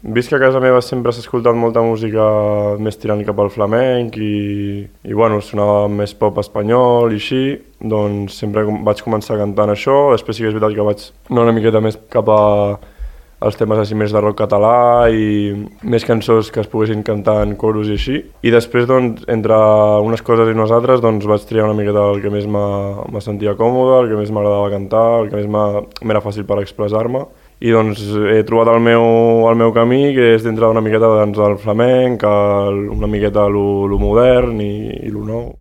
Vist que a casa meva sempre s'ha escoltat molta música més tirant cap al flamenc i bueno, sonava més pop espanyol i així, doncs sempre vaig començar cantant això, després sí que és veritat que vaig anar una miqueta més cap a els temes així més de rock català i més cançons que es poguessin cantar en coros i així. I després, doncs, entre unes coses i unes altres, doncs vaig triar una miqueta el que més me sentia còmode, el que més m'agradava cantar, el que més m'era fàcil per expressar-me. I doncs he trobat el meu camí, que és dintre una miqueta doncs, del flamenc, una miqueta lo modern i lo nou.